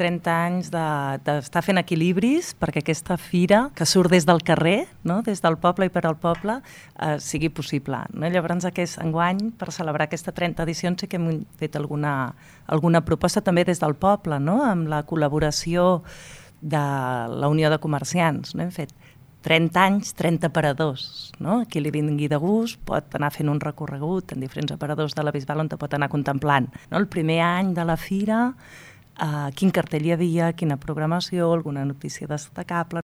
30 anys d'estar fent equilibris perquè aquesta fira, que surt des del carrer, no? Des del poble i per al poble, sigui possible. No? Llavors, enguany, per celebrar aquesta 30 edicions, sí que hem fet alguna proposta també des del poble, no? Amb la col·laboració de la Unió de Comerciants. No? Hem fet 30 anys, 30 aparadors. No? Qui li vingui de gust pot anar fent un recorregut en diferents aparadors de la Bisbal on te pot anar contemplant. No? El primer any de la fira, quin cartell hi havia, quina programació, alguna notícia destacable.